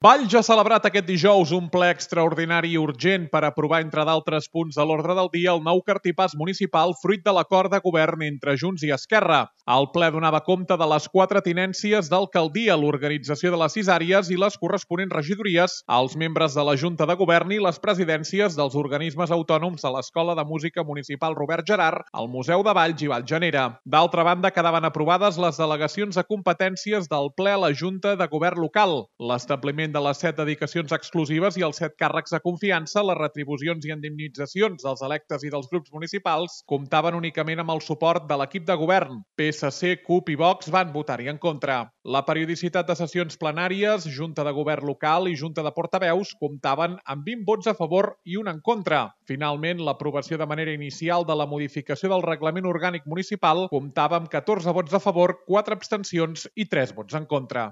Valls ha celebrat aquest dijous un ple extraordinari i urgent per aprovar, entre d'altres punts de l'ordre del dia, el nou cartipàs municipal fruit de l'acord de govern entre Junts i Esquerra. El ple donava compte de les 4 tinències d'alcaldia, l'organització de les 6 àrees i les corresponents regidories, als membres de la Junta de Govern i les presidències dels organismes autònoms de l'Escola de Música Municipal Robert Gerhard, el Museu de Valls i Vallgenera. D'altra banda, quedaven aprovades les delegacions de competències del ple a la Junta de Govern local, l'establiment de les 7 dedicacions exclusives i els 7 càrrecs de confiança, les retribucions i indemnitzacions dels electes i dels grups municipals comptaven únicament amb el suport de l'equip de govern. PSC, CUP i Vox van votar-hi en contra. La periodicitat de sessions plenàries, Junta de Govern local i Junta de Portaveus comptaven amb 20 vots a favor i un en contra. Finalment, l'aprovació de manera inicial de la modificació del reglament orgànic municipal comptava amb 14 vots a favor, 4 abstencions i 3 vots en contra.